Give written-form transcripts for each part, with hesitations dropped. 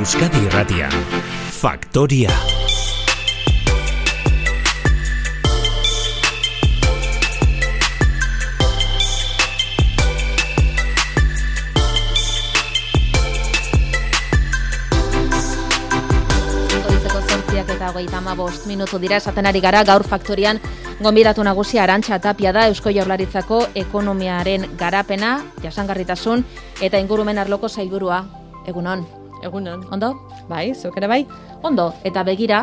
Euskadi Irratia. Faktoria. Eta 35 minutu dira esaten ari gara gaur Faktorian gonbidatu nagusia Arantxa Tapia da Eusko Jaurlaritzako ekonomiaren garapena, jasangarritasun eta ingurumen arloko sailburua. Egunon. Egunon. Ondo? Bai, zuk ere bai? Ondo, eta begira,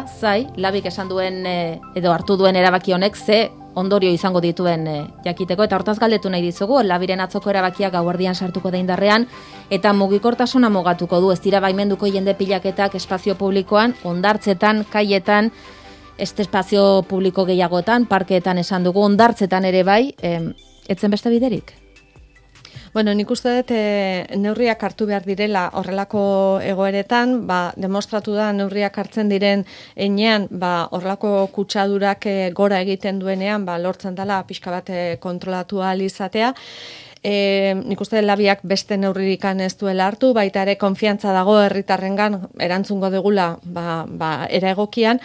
Labik esan duen edo hartu duen erabaki honek ze ondorio izango dituen jakiteko, eta hortaz galdetu nahi dizugu, Labiren atzoko erabakia gauerdian sartuko da indarrean, eta mugikortasuna mugatuko du, ez dira baimenduko jende pilaketak espazio publikoan, hondartzetan, kaietan, espazio publiko gehiagotan, parkeetan esan dugu, hondartzetan ere bai, etzen beste biderik? Bueno, nik uste dut neurriak hartu behar direla horrelako egoeretan, demostratu da neurriak hartzen diren enean, horrelako kutsadurak gora egiten duenean, lortzen dela pixka bat kontrolatu ahal izatea. Nik uste Labiak beste neurririkan ez duela hartu, baita ere konfiantza dago herritarrengan erantzungo degula era egokian.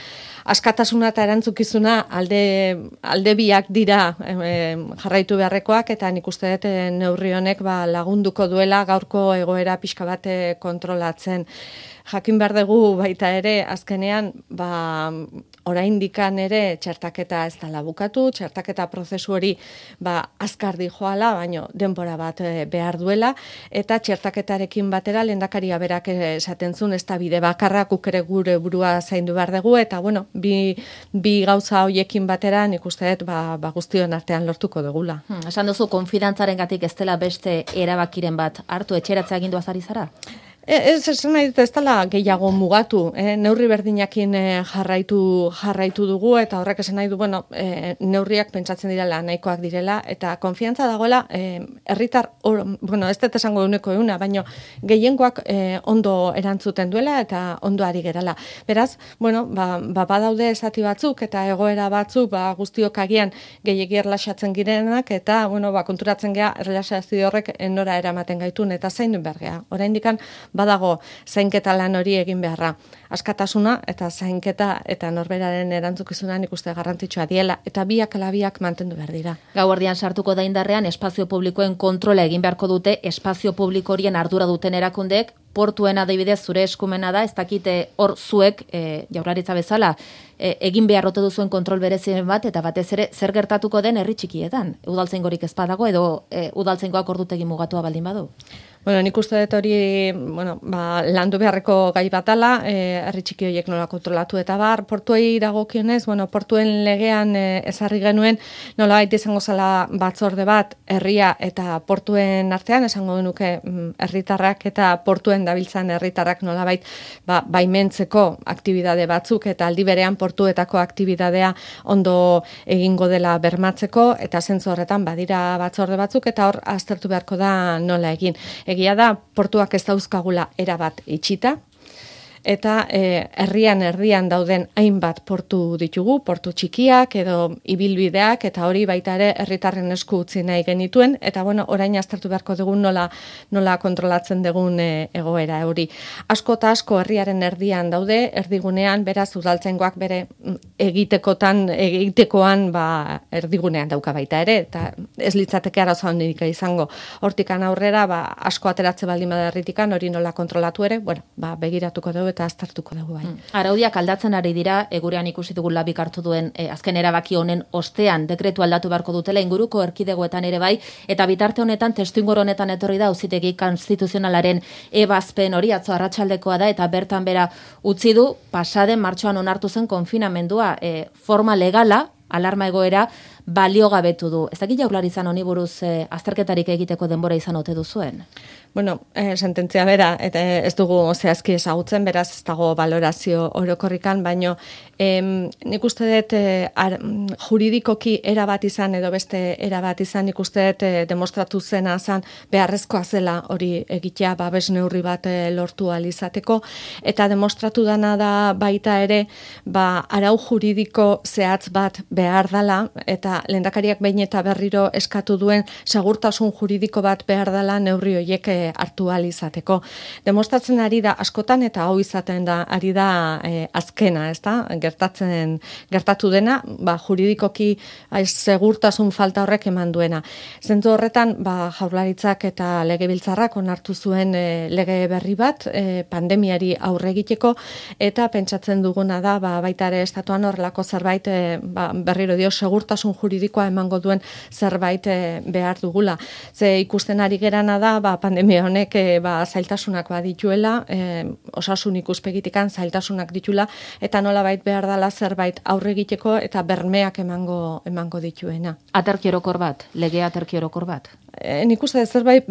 Askatasuna eta erantzukizuna alde biak dira jarraitu beharrekoak, eta nik uste dut neurri honek lagunduko duela gaurko egoera pixka bat kontrolatzen. Jakin behar dugu baita ere, azkenean, oraindikan ere txertaketa ez dela bukatu, txertaketa prozesu hori azkar dijoala, baino denbora bat behar duela, eta txertaketarekin batera lehendakaria berak esaten zuen ez da bide bakarra, guk ere gure burua zaindu behar dugu, eta bueno, bi gauza hoiekin batera nik uste dut guztion artean lortuko dugula. Esan duzu, konfidantzarengatik ez dela beste erabakiren bat hartu, etxeratzea agindua zari zara? Ez nahi dut ez dela gehiago mugatu, neurri berdinakin jarraitu dugu, eta horrek esan nahi du, neurriak pentsatzen direla, nahikoak direla, eta konfiantza dagoela, herritar, ez dut esango duneko euna, baina gehiengoak ondo erantzuten duela, eta ondo ari gerala. Beraz, badaude esati batzuk, eta egoera batzuk, guztiok agian gehiegi erlaxatzen girenak, eta, konturatzen gea, erlaxazio horrek nora eramaten gaitun, eta zaindu behar gea. Oraindikan, badago zainketa lan hori egin beharra. Askatasuna eta zainketa eta norberaren erantzukizuna nik uste garrantzitsua diela, eta biak mantendu behar dira. Gauerdian sartuko da indarrean espazio publikoen kontrola egin beharko dute, espazio publiko horien ardura duten erakundek, portuen adibidez zure eskumena da, ez dakite hor zuek, Jaurlaritza bezala, egin beharrote duzuen kontrol berezien bat, eta batez ere zer gertatuko den herri txikietan. Udaltzaingorik ez badago, edo udaltzaingoak ordutegi mugatua baldin badu? Nik uste dut hori landu beharreko gai batala, herri txiki horiek nola kontrolatu eta portuei dagokionez, portuen legean ezarri genuen nolabait izango zela batzorde bat herria eta portuen artean, esango genuke herritarrak eta portuen dabiltzan herritarrak nolabait baimentzeko aktibidade batzuk, eta aldi berean portuetako aktibidadea ondo egingo dela bermatzeko, eta zentzu horretan badira batzorde batzuk, eta hor aztertu beharko da nola egin. Egia da, portuak ez dauzkagula erabat itxita, eta herrian dauden hainbat portu ditugu, portu txikiak edo ibilbideak, eta hori baita ere herritarren esku utzi nahi genituen, eta orain aztertu beharko dugun nola kontrolatzen dugun egoera hori. Asko eta asko herriaren erdian daude, erdigunean, beraz udaltzaingoak bere egitekoan erdigunean dauka baita ere, eta ez litzateke arazo handik izango. Hortikan aurrera, asko ateratze baldin bada herritikan, hori nola kontrolatu ere, begiratuko dugu eta aztertuko dugu bai. Araudiak aldatzen ari dira, gurean ikusi dugu Labik hartu duen azken erabaki honen ostean dekretu aldatu beharko dutela inguruko erkidegoetan ere bai, eta bitarte honetan, testuinguru honetan etorri da Auzitegi Konstituzionalaren ebazpen hori, atzo arratsaldekoa da, eta bertan bera utzi du pasaden martxoan onartu zen konfinamendua forma legala, alarma egoera baliogabetu du. Ez dakit Jaurlaritzan honi buruz azterketarik egiteko denbora izan ote duzuen? Sententzia bera, eta ez dugu zehazki ezagutzen, beraz ez dago valorazio orokorrikan, baino nik uste dut juridikoki erabat izan edo beste erabat izan, nik uste dut demostratu zena zan beharrezkoa zela hori egitea babes neurri bat lortu ahal izateko, eta demostratu dana da baita ere arau juridiko zehatz bat behar dela, eta lehendakariak behin eta berriro eskatu duen segurtasun juridiko bat behar dela neurri horiek hartu ahal izateko. Demostratzen ari da askotan eta hau izaten da ari da azkena, ezta? Gertatu dena, juridikoki segurtasun falta horrek eman duena. Zentzu horretan, Jaurlaritzak eta Legebiltzarrak onartu zuen lege berri bat pandemiari aurre egiteko, eta pentsatzen duguna da baita ere estatuan horrelako zerbait berriro dio segurtasun juridikoa emango duen zerbait behar dugula. Ze ikusten ari gerana da pandemia honek zailtasunak badituela, osasun ikuspegitikan zailtasunak ditula, eta nolabait behar dela zerbait aurre egiteko eta bermeak emango dituena. Aterki orokor bat, lege aterki orokor bat. Nik uste zerbait,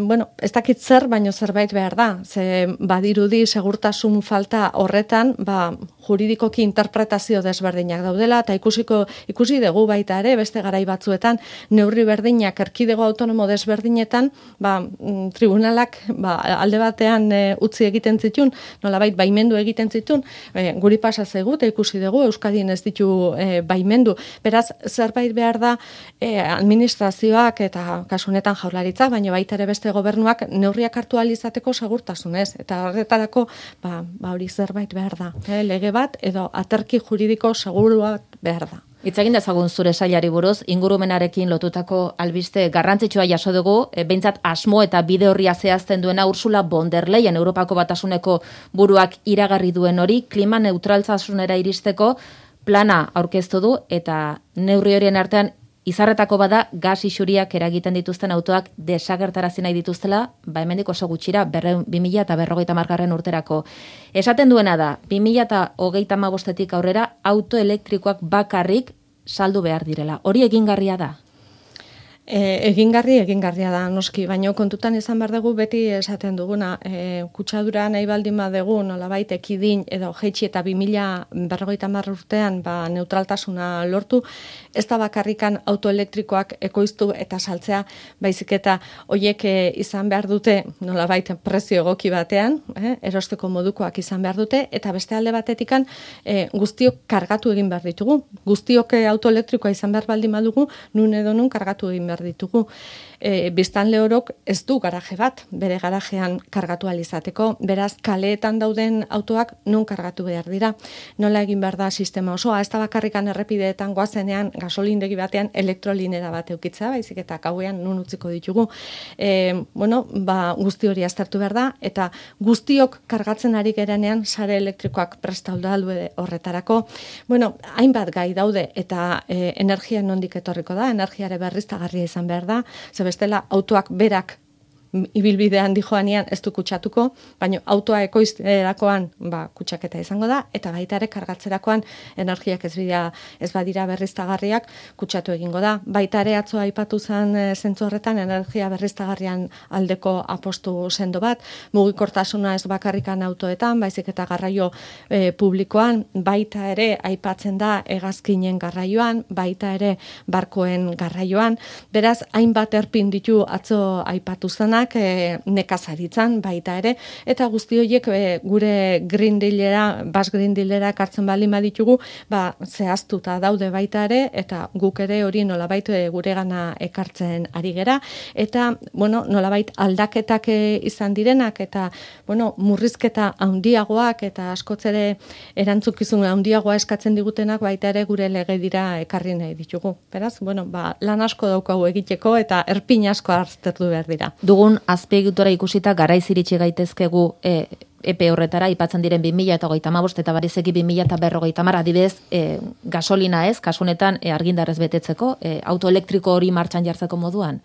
ez dakit zer, baino zerbait behar da. Ze badirudi segurtasun falta horretan, juridikoki interpretazio desberdinak daudela, eta ikusi dugu baita ere, beste garai batzuetan, neurri berdinak erkidego autonomo desberdinetan, tribunalak alde batean utzi egiten zitun, nolabait baimendu egiten zitun, guri pasa zaigu, eta ikusi dugu, Euskadin ez ditu baimendu. Beraz, zerbait behar da administrazioak eta kasunetan Jaurlaritzak, baina baita ere beste gobernuak neurriak hartu ahal izateko segurtasunez, eta horretarako hori zerbait behar da. Lege bat edo aterki juridiko seguru bat behar da. Hitz egin dezagun zure sailari buruz, ingurumenarekin lotutako albiste garrantzitsua jaso dugu, behintzat asmo eta bide horria zehazten duena Ursula von der Leyen Europako Batasuneko buruak iragarri duen hori, klima neutraltasunera iristeko plana aurkeztu du, eta neurri horien artean izarretako bada gas isuriak eragiten dituzten autoak desagertarazi nahi dituztela, hemendik oso gutxira 2050 urterako. Esaten duena da, 2035 aurrera auto elektrikoak bakarrik saldu behar direla. Hori egingarria da? Egingarria da, noski, baina kontutan izan behar dugu beti esaten duguna, kutsadura nahi baldin badugu nolabait ekidin edo jeitsi eta 2050 urtean neutraltasuna lortu, ez da bakarrikan autoelektrikoak ekoiztu eta saltzea, baizik eta hoiek izan behar dute nolabait prezio egoki batean, erosteko modukoak izan behar dute, eta beste alde batetikan guztiok kargatu egin behar ditugu. Guztiok autoelektrikoa izan behar baldin badugu, nun edo nun kargatu egin behar ditugu. Biztanle orok ez du garaje bat, bere garajean kargatu ahal izateko, beraz kaleetan dauden autoak nun kargatu behar dira. Nola egin behar da sistema osoa, ez da bakarrikan errepideetan goazenean gasolindegi batean elektrolinera bat eukitza, baizik eta gauean nun utziko ditugu. Guzti hori aztertu behar da, eta guztiok kargatzen ari gerenean sare elektrikoak prestaudu horretarako. Hainbat gai daude, eta energia nondik etorriko da, energiare berriztagarria izan behar da, ze bestela autoak berak ibilbidean dijoanean ez du kutsatuko, baina autoa ekoizterakoan kutsaketa izango da, eta baita ere kargatzerakoan energiak ez badira berriztagarriak kutsatu egingo da. Baita ere atzo aipatu zen zentzu horretan energia berriztagarrian aldeko apostu sendo bat, mugikortasuna ez bakarrikan autoetan, baizik eta garraio publikoan, baita ere aipatzen da hegazkinen garraioan, baita ere barkoen garraioan, beraz hainbat erpin ditu atzo aipatu zenak, nekazaritzan baita ere, eta guzti horiek gure Green Dealera, Basque Green Dealera ekartzen baldin baditugu, zehaztuta daude baita ere, eta guk ere hori nolabait guregana ekartzen ari gera, eta nolabait aldaketak izan direnak, eta murrizketa handiagoak, eta askoz ere erantzukizun handiagoa eskatzen digutenak baita ere gure lege dira ekarri nahi ditugu. Beraz, lan asko daukagu egiteko, eta erpin asko aztertu behar dira. Dugun azpiegitura ikusita garaiz iritsi gaitezkegu epe horretara, ipatzen diren 2035 eta barizeki 2050 adibidez gasolina ez, kasunetan argindarrez betetzeko, autoelektriko hori martxan jartzeko moduan?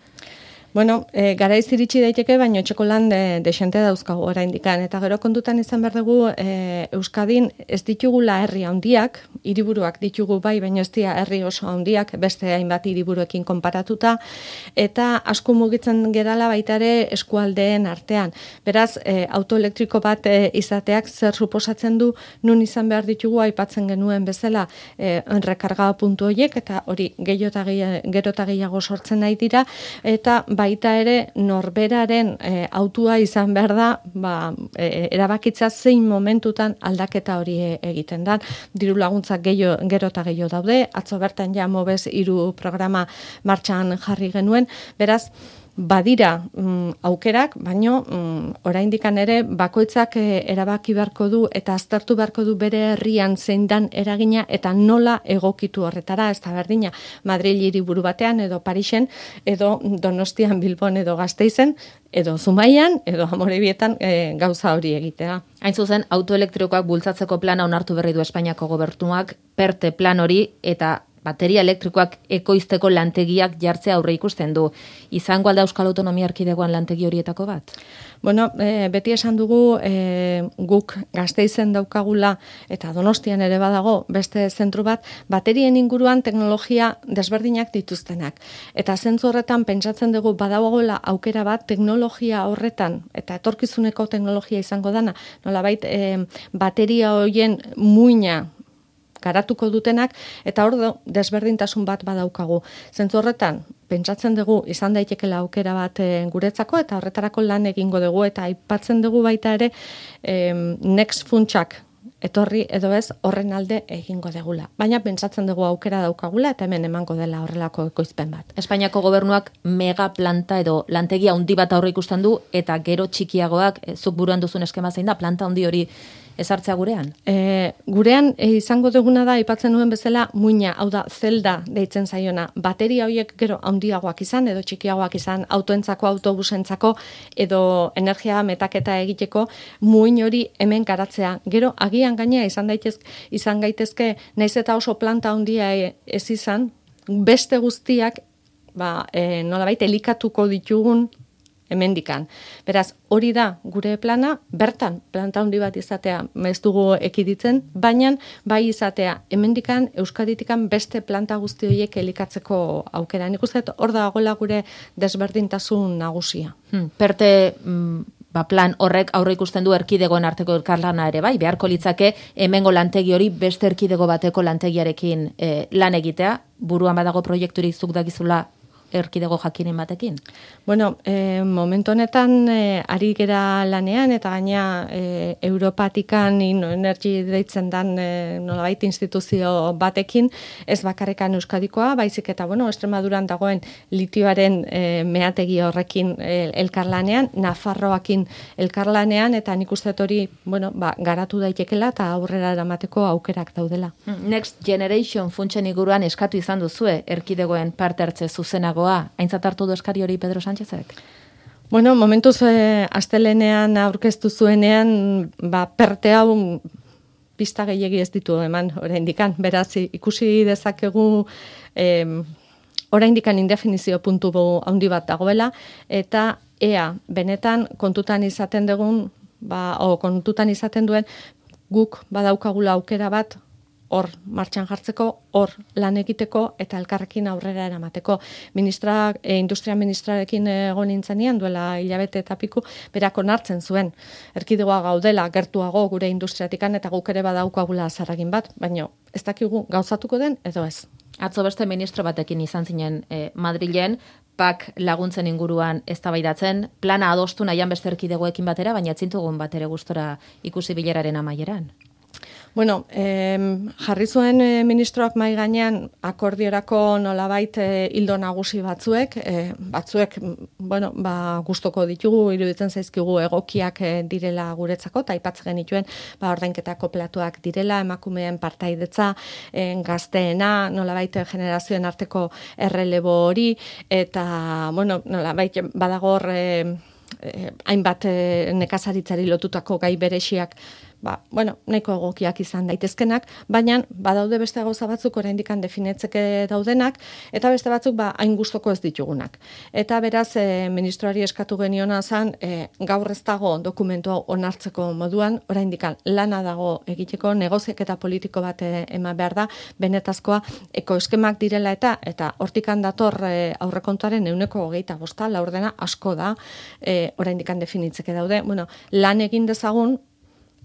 Garaiz iritsi daiteke, baina etxeko lan desente dauzkagu oraindikan, eta gero kontutan izan behar dugu Euskadin ez ditugula herri handiak, hiriburuak ditugu bai, baina ez dira herri oso handiak, beste hainbat hiriburuekin konparatuta, eta asko mugitzen gerala baita ere eskualdeen artean. Beraz, autoelektriko bat izateak zer suposatzen du, nun izan behar ditugu aipatzen genuen bezala rekarga puntu horiek, eta hori gero eta gehiago sortzen nahi dira, eta baita ere norberaren autua izan behar da, erabakitza zein momentutan aldaketa hori egiten da. Diru laguntzak gero eta gehiago daude, atzo bertan ja Mobes 3 programa martxan jarri genuen, beraz, badira aukerak, baino oraindikan ere bakoitzak erabaki beharko du eta aztertu beharko du bere herrian zein dan eragina eta nola egokitu horretara, ez da berdina Madril hiriburu batean edo Parisen edo Donostian, Bilbon edo Gasteizen edo Zumaian edo Amorebietan gauza hori egitea. Hain zuzen, autoelektrikoak bultzatzeko plana onartu berri du Espainiako gobernuak, PERTE plan hori eta bateria elektrikoak ekoizteko lantegiak jartzea aurre ikusten du. Izango alda Euskal Autonomia Erkidegoan lantegi horietako bat? Bueno, beti esan dugu guk Gasteizen daukagula eta Donostian ere badago beste zentru bat, baterien inguruan teknologia desberdinak dituztenak. Eta zentzu horretan pentsatzen dugu badagoela aukera bat teknologia horretan eta etorkizuneko teknologia izango dana, nolabait bateria horien muina garatuko dutenak, eta hor desberdintasun bat badaukagu. Zentzu horretan, pentsatzen dugu izan daitekela aukera bat guretzako, eta horretarako lan egingo dugu, eta aipatzen dugu baita ere Next funtsak etorri edo ez horren alde egingo degula. Baina pentsatzen dugu aukera daukagula, eta hemen emango dela horrelako ekoizpen bat. Espainiako gobernuak megaplanta edo lantegia handi bat aurre ikusten du, eta gero txikiagoak, zuk buruan duzun eskema zein da, planta handi hori ezartzea gurean? Gurean izango duguna da, aipatzen nuen bezala, muina, hau da, zelda deitzen zaiona. Bateria horiek gero handiagoak izan, edo txikiagoak izan, autoentzako, autobusentzako, edo energia metaketa egiteko, muin hori hemen garatzea. Gero, agian gaina izan gaitezke, naiz eta oso planta handia ez izan, beste guztiak, nolabait elikatuko ditugun hemendikan. Beraz, hori da gure plana, bertan planta handi bat izatea ez dugu ekiditzen, baina bai izatea hemendikan Euskaditikan beste planta guzti horiek elikatzeko aukera. Nik uste hor dagoela gure desberdintasun nagusia. PERTE plan horrek aurre ikusten du erkidegoen arteko elkarlana ere bai, beharko litzake hemengo lantegi hori beste erkidego bateko lantegiarekin lan egitea, buruan badago proiekturik zuk dakizula erkidego jakinen batekin? Bueno, momentu honetan ari gera lanean eta gaina Europatikan Energy deitzen dan nolabait instituzio batekin, ez bakarrekan Euskadikoa, baizik eta Extremaduran dagoen litioaren meategi horrekin elkarlanean, Nafarroakin elkarlanean, eta nik uste hori garatu daitekela eta aurrera eramateko aukerak daudela. Next Generation funtsen inguruan eskatu izan duzue erkidegoen parte hartze zuzenago. Aintzat hartu du eskari hori Pedro Sánchezek? Bueno, momentuz astelenean aurkeztu zuenean, PERTE hau pista gehiegi ez ditu eman oraindikan. Beraz, ikusi dezakegu oraindikan indefinizio puntu handi bat dagoela, eta ea benetan kontutan izaten dugun, kontutan izaten duen guk badaukagula aukera bat hor martxan jartzeko, hor lan egiteko eta elkarrekin aurrera eramateko. Industria ministrarekin egon nintzenean duela hilabete eta piku, berak onartzen zuen. Erkidegoa gaudela gertuago gure industriatikan eta guk ere badaukagula zarragin bat, baina ez dakigu gauzatuko den edo ez. Atzo beste ministro batekin izan zinen Madrilen, PAK laguntzen inguruan eztabaidatzen, plana adostu nahian beste erkidegoekin batera, baina etzintugun batere gustora ikusi bileraren amaieran. Bueno, jarri zuen ministroak mahai gainean akordiorako nolabait ildo nagusi batzuek gustoko ditugu, iruditzen zaizkigu egokiak direla guretzako, eta aipatzen genituen ordainketa koplatuak direla, emakumeen partaidetza, gazteena, nolabait generazioen arteko errelebo hori, eta nolabait badagor hainbat nekazaritzari lotutako gai bereziak nahiko egokiak izan daitezkenak, baina badaude beste gauza batzuk oraindikan definitzeke daudenak, eta beste batzuk hain gustoko ez ditugunak. Eta beraz, ministroari eskatu geniona zen, gaur ez dago dokumentu onartzeko moduan, oraindikan lana dago egiteko, negoziaketa politiko bat eman behar da, benetazkoa ekoeskemak direla eta hortikan dator aurrekontuaren 25%, laurdena asko da, oraindikan definitzeke daude. Lan egin dezagun,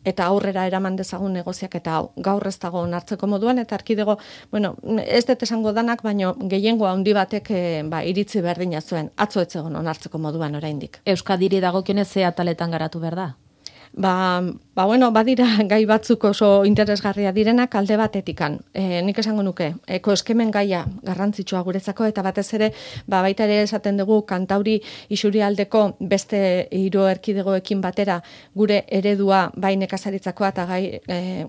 eta aurrera eraman dezagun negoziaketa hau. Gaur ez dago onartzeko moduan, eta erkidego, bueno, ez dut esango danak, baino gehiengo handi batek iritzi berdina zuen, atzo ez zegoen onartzeko moduan oraindik. Euskadiri dagokionez ze ataletan garatu behar da? Bueno, badira gai batzuk oso interesgarria direnak alde batetikan. Nik esango nuke, ekoeskemen gaia garrantzitsua guretzako, eta batez ere, baita ere esaten dugu Kantauri isurialdeko beste hiru erkidegoekin batera gure eredua bai nekazaritzakoa eta gai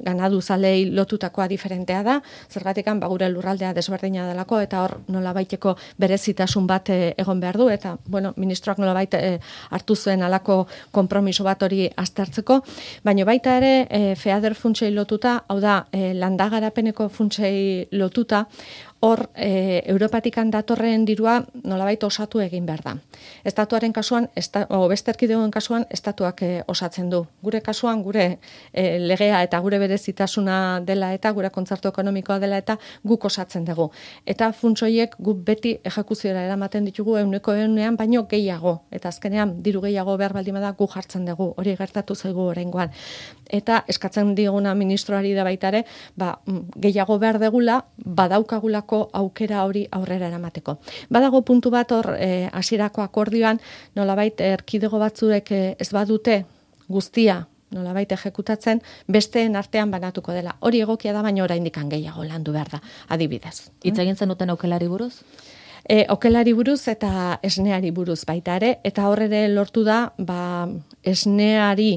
ganaduzalei lotutakoa diferentea da, zergatikan gure lurraldea desberdina delako, eta hor nolabaiteko berezitasun bat egon behar du, eta ministroak nolabait hartu zuen alako konpromiso bat hori aztertzeko, baina baita ere FEADER funtsei lotuta, hau da, landagarapeneko funtsei lotuta, hor Europatikan datorren dirua nolabait osatu egin behar da. Estatuaren kasuan, beste erkidegoen kasuan, estatuak osatzen du. Gure kasuan, gure legea eta gure berezitasuna dela eta gure kontzertu ekonomikoa dela eta guk osatzen dugu. Eta funtsoiek guk beti ejekuziora eramaten ditugu 100%, baino gehiago. Eta azkenean, diru gehiago behar baldin bada guk jartzen dugu. Hori gertatu zaigu oraingoan. Eta eskatzen diguna ministroari da baita ere, gehiago behar degula, badaukagulako aukera hori aurrera eramateko. Badago puntu bat hor hasierako akordioan, nolabait erkidego batzuek ez badute guztia nolabait ejekutatzen, besteen artean banatuko dela. Hori egokia da, baina oraindik gehiago landu behar da, adibidez. Hitz egin zenuten okelari buruz? Okelari buruz eta esneari buruz baita ere, eta horre lortu da, esneari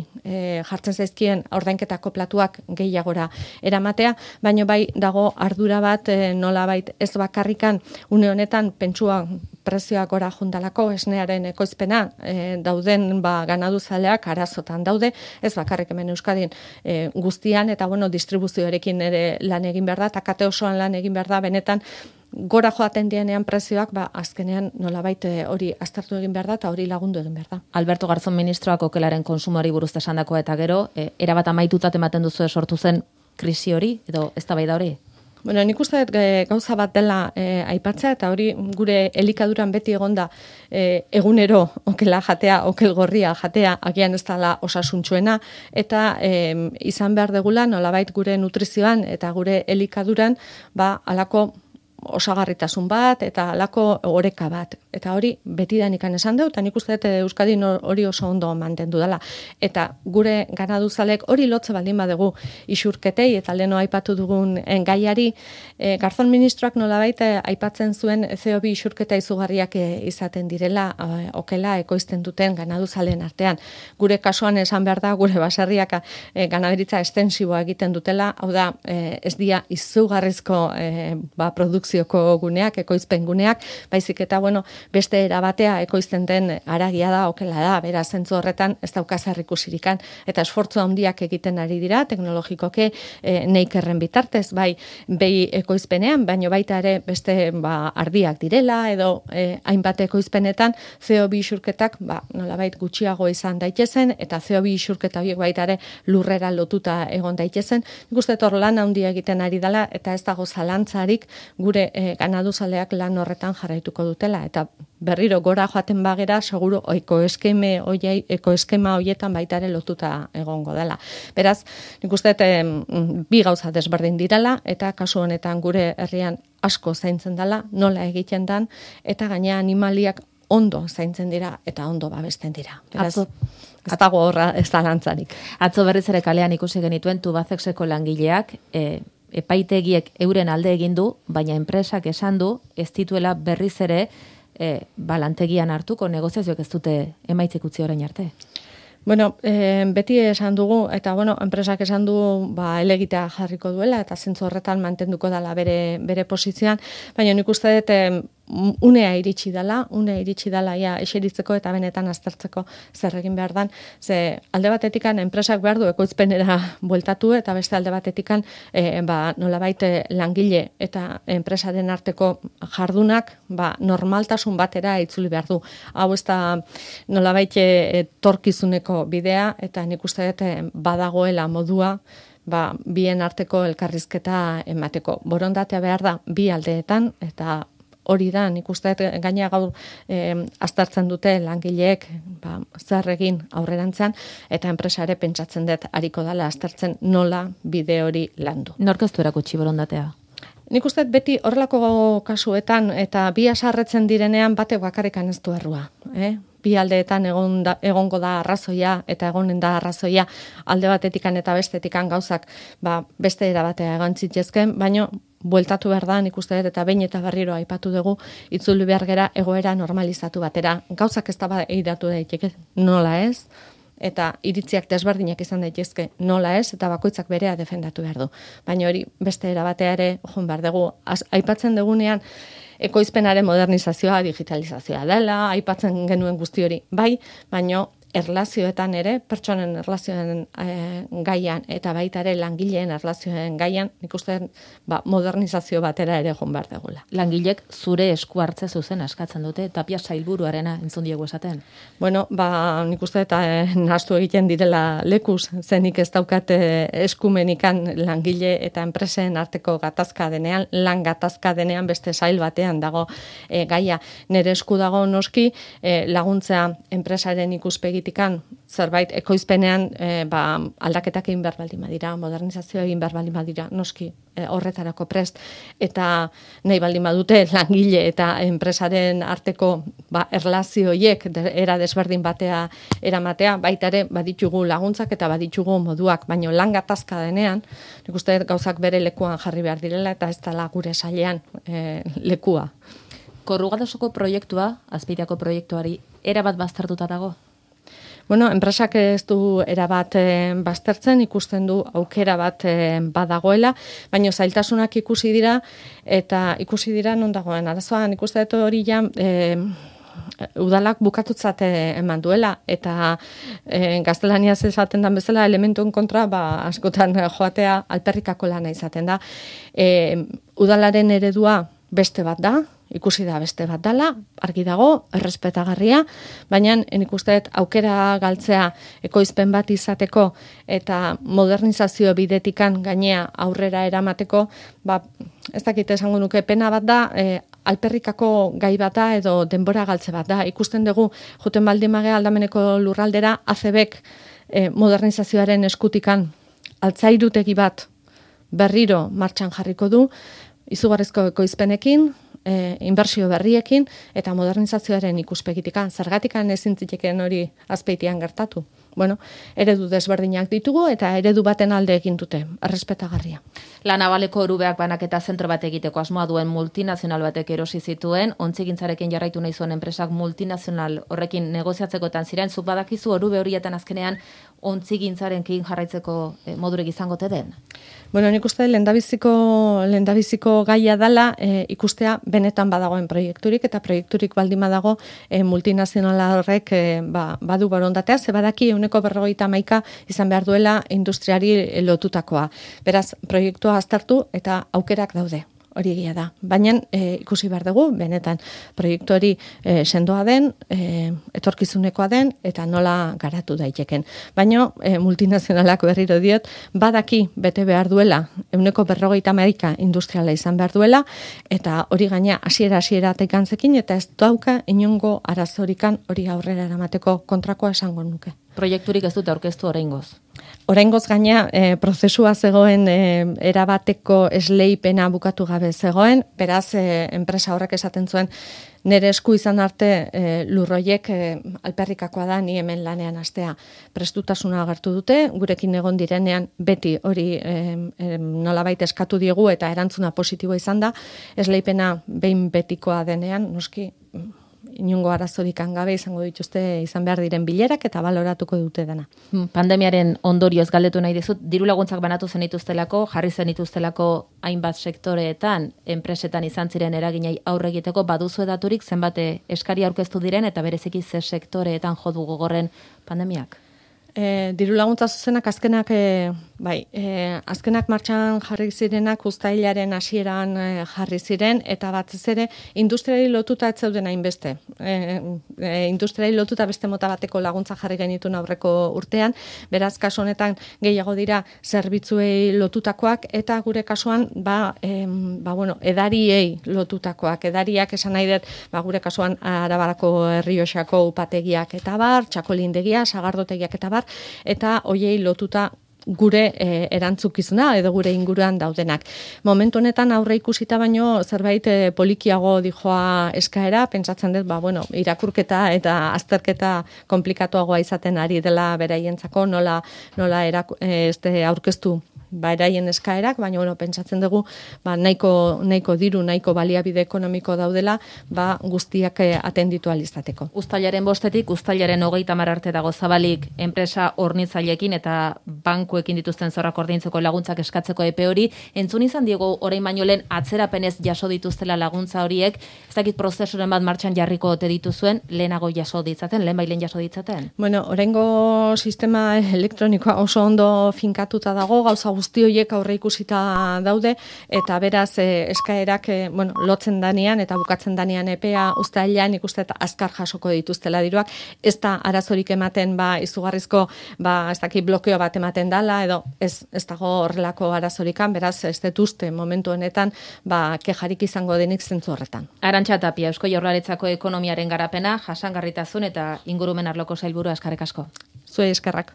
jartzen zaizkien ordainketako platuak gehiagora eramatea, baino bai dago ardura bat nolabait ez bakarrikan une honetan pentsua prezioak gora jundalako esnearen ekoizpena dauden ganaduzaleak arazotan daude, ez bakarrik hemen Euskadin guztian, eta distribuzioarekin ere lan egin behar da, eta kate osoan lan egin behar da, benetan gora joaten dienean prezioak, azkenean nolabait hori aztertu egin behar da, eta hori lagundu egin behar da. Alberto Garzón ministroak okelaren konsumoari buruz esandakoa eta gero, erabat amaitutzat ematen duzu sortu zen krisi hori, edo eztabaida hori? Nik uste gauza bat dela aipatzea, eta hori gure elikaduran beti egonda egunero okela jatea, okel gorria jatea, agian ez dela osasuntsuena, eta izan behar degula nolabait gure nutrizioan eta gure elikaduran alako osagarritasun bat eta halako oreka bat. Eta hori betidanikan esan dut, eta nik uste dut Euskadin hori oso ondo mantendu dela. Eta gure ganaduzalek hori lotze baldin badegu isurketei, eta leno aipatu dugun gaiari, Garzón ministroak nolabait aipatzen zuen CO2 isurketa izugarriak izaten direla okela ekoizten duten ganaduzalen artean. Gure kasuan esan behar da, gure baserriak ganaderitza estensiboa egiten dutela, hau da, ez dia izugarrizko produkzioko guneak, ekoizpen guneak, baizik eta, beste erabatea ekoizten den haragia da, okela da, beraz zentzu horretan ez daukazar ikusirikan, eta esfortzu handiak egiten ari dira, teknologikoke neikerren bitartez, bai ekoizpenean, baino baita ere beste ardiak direla, edo hainbat ekoizpenetan CO2 isurketak nolabait gutxiago izan daitezen, eta CO2 isurketa horiek baita ere lurrera lotuta egon daitezen. Nik uste hor lan handia egiten ari dela, eta ez dago zalantzarik gure ganaduzaleak lan horretan jarraituko dutela, eta berriro gora joaten bagera, seguro ekoeskema horietan baita ere lotuta egongo dela. Beraz, nik uste bi gauza desberdin direla, eta kasu honetan gure herrian asko zaintzen dela, nola egiten dan, eta gaina animaliak ondo zaintzen dira, eta ondo babesten dira. Beraz, ez dago horra ez da lantzarik. Atzo berriz ere kalean ikusi genituen Tubacexeko langileak, epaitegiek euren alde egin du, baina enpresak esan du, ez dituela berriz ere lantegian hartuko, negoziazioak ez dute emaitzik utzi orain arte. Beti esan dugu, eta enpresak esan du elegitea jarriko duela, eta zentzu horretan mantenduko dela bere posizioan, baina nik uste dut unea iritsi dela eseritzeko eta benetan aztertzeko zer egin behar dan, ze alde batetikan enpresak behar du ekoizpenera bueltatu, eta beste alde batetikan nolabait langile eta enpresaren arteko jardunak normaltasun batera itzuli behar du. Hau ez da nolabait torkizuneko bidea, eta nik uste dut badagoela modua bien arteko elkarrizketa emateko. Borondatea behar da bi aldeetan, eta hori da, nik uste gaina gaur aztertzen dute langileek zer egin aurrerantzean, eta enpresa ere pentsatzen dut ariko dela aztertzen nola bide hori landu. Nork ez du erakutsi borondatea? Nik uste beti horrelako kasuetan eta bi asarretzen direnean batek bakarrikan ez du errua. Bi aldeetan egongo da arrazoia eta egonen da arrazoia alde batetikan eta bestetikan gauzak beste era batea egon zitzezken, baina bueltatu behar da, nik uste dut, eta behin eta berriro aipatu dugu, itzuli behar gera egoera normalizatu batera. Gauzak ez da eidatu daiteke, nola ez, eta iritziak desberdinak izan daitezke nola ez, eta bakoitzak berea defendatu behar du. Baina hori beste era batea ere joan behar dugu. Aipatzen dugunean, ekoizpenaren modernizazioa, digitalizazioa dela, aipatzen genuen guzti hori, bai, baina erlazioetan ere, pertsonen erlazioen gaian, eta baita ere langileen erlazioen gaian, nik uste modernizazio batera ere joan behar dugula. Langilek zure esku hartze zuzen askatzen dute, Tapia sailburuarena entzun diegu esaten. Bueno, nik uste eta nahastu egiten direla lekuz, zenik ez daukat eskumenikan langile eta enpresen arteko gatazka denean, lan gatazka denean beste sail batean dago gaia. Nere esku dago noski laguntzea enpresaren ikuspegi zerbait ekoizpenean aldaketak egin behar baldin badira, modernizazioa egin behar baldin badira, noski horretarako prest, eta nahi baldin badute langile eta enpresaren arteko erlazioiek era desberdin batea eramatea, baita ere baditugu laguntzak eta baditugu moduak, baino lan gatazka denean, nik uste gauzak bere lekuan jarri behar direla eta ez dela gure sailean lekua. Korrugadosoko proiektua, Azpeitiako proiektuari, erabat baztertuta dago? Bueno, enpresak ez du erabat baztertzen, ikusten du aukera bat badagoela, baina zailtasunak ikusi dira, eta ikusi dira non dagoen. Arazoan ikusten dut hori ja udalak bukatutzat eman duela, eta gaztelaniaz esaten den bezala elementuen kontra askotan joatea alperrikako lana izaten da. Udalaren eredua beste bat da, ikusi da beste bat dela, argi dago, errespetagarria, baina nik uste dut aukera galtzea ekoizpen bat izateko eta modernizazio bidetikan gainea aurrera eramateko, ez dakit esango nuke pena bat da, alperrikako gai bat da edo denbora galtze bat da. Ikusten dugu, joten baldin magea aldameneko lurraldera, ACBek modernizazioaren eskutikan altzairutegi bat berriro martxan jarriko du, izugarrizko ekoizpenekin, inbertsio berriekin eta modernizazioaren ikuspegitikan, zergatikan ezin zitekeen hori Azpeitian gertatu. Bueno, eredu desberdinak ditugu eta eredu baten alde egin dute, errespetagarria. La Navaleko orubeak banaketa zentro bat egiteko asmoa duen multinazional batek erosi zituen, ontzigintzarekin jarraitu nahi zuen enpresak multinazional horrekin negoziatzekotan ziren, zuk badakizu orube horietan azkenean ontzigintzarekin jarraitzeko modurek izango te den? Bueno, nik uste lehendabiziko gaia dela ikustea benetan badagoen proiekturik, eta proiekturik baldin badago multinazionala horrek badu borondatea, ze badaki 151 izan behar duela industriari lotutakoa. Beraz, proiektua aztertu eta aukerak daude. Hori egia da. Baina ikusi behar dugu, benetan proiektu hori sendoa den, etorkizunekoa den, eta nola garatu daiteken. Baina multinazionalak berriro diot, badaki bete behar duela, 151 industriala izan behar duela, eta hori gaina hasiera tekantzekin, eta ez dauka inongo arazorikan hori aurrera eramateko kontrakoa esango nuke. Proiekturik ez dute aurkeztu oraingoz. Oraingoz gaina prozesua zegoen erabateko esleipena bukatu gabe zegoen, beraz enpresa horrek esaten zuen nire esku izan arte lurroiek alperrikakoa da ni hemen lanean hastea. Prestutasuna agertu dute, gurekin egon direnean beti hori nolabait eskatu diegu eta erantzuna positiboa izan da, esleipena behin betikoa denean, noski inongo arazorikan gabe izango dituzte izan behar diren bilerak eta baloratuko dute dena. Pandemiaren ondorioz galdetu nahi dizut, diru laguntzak banatu zenituztelako, jarri zenituztelako hainbat sektoreetan, enpresetan izan ziren eraginei aurre egiteko, baduzu edaturik zenbate eskari aurkeztu diren eta bereziki ze sektoreetan jo du gogorren pandemiak? Diru laguntza zuzenak azkenak Bai, azkenak martxan jarri zirenak uztailaren hasieran jarri ziren, eta batez ere industriari lotuta ez zeuden hainbeste. Industriari lotuta beste mota bateko laguntza jarri genituen aurreko urtean, beraz kasu honetan gehiago dira zerbitzuei lotutakoak, eta gure kasuan edariei lotutakoak. Edariak esan nahi dut, gure kasuan Arabarako Errioxako upategiak eta bar, txakolindegia, sagardotegiak eta bar, eta hoiei lotuta gure erantzukizuna edo gure inguruan daudenak. Momentu honetan aurre ikusita baino zerbait polikiago dijoa eskaera, pentsatzen dut, irakurketa eta azterketa komplikatuagoa izaten ari dela beraientzako, nola aurkeztu beraien eskaerak, baina pentsatzen dugu nahiko diru, nahiko baliabide ekonomiko daudela, guztiak atenditu alizateko. Uztailaren 5-tik uztailaren 30 arte dago zabalik enpresa hornitzaileekin eta bankuekin dituzten zorrak ordaintzeko laguntzak eskatzeko epe hori. Entzun izan diego orain baino lehen atzerapenez jaso dituztela laguntza horiek, ez dakit prozesuren bat martxan jarriko ote dituzuen, lehenago jaso ditzaten, lehenbailen jaso ditzaten? Oraingo sistema elektronikoa oso ondo finkatuta dago, gauza guzti horiek aurre ikusita daude, eta beraz eskaerak lotzen danean eta bukatzen danean epea uztailean ikuste eta azkar jasoko dituztela diruak, ez da arazorik ematen izugarrizko ez dakit blokeo bat ematen dala, edo ez dago horrelako arazorikan, beraz ez dut uste momentu honetan kejarik izango denik zentzu horretan. Arantxa Tapia, Eusko Jaurlaritzako ekonomiaren garapena, jasangarritasun eta ingurumen arloko sailburua, eskerrik asko. Zuei eskerrak.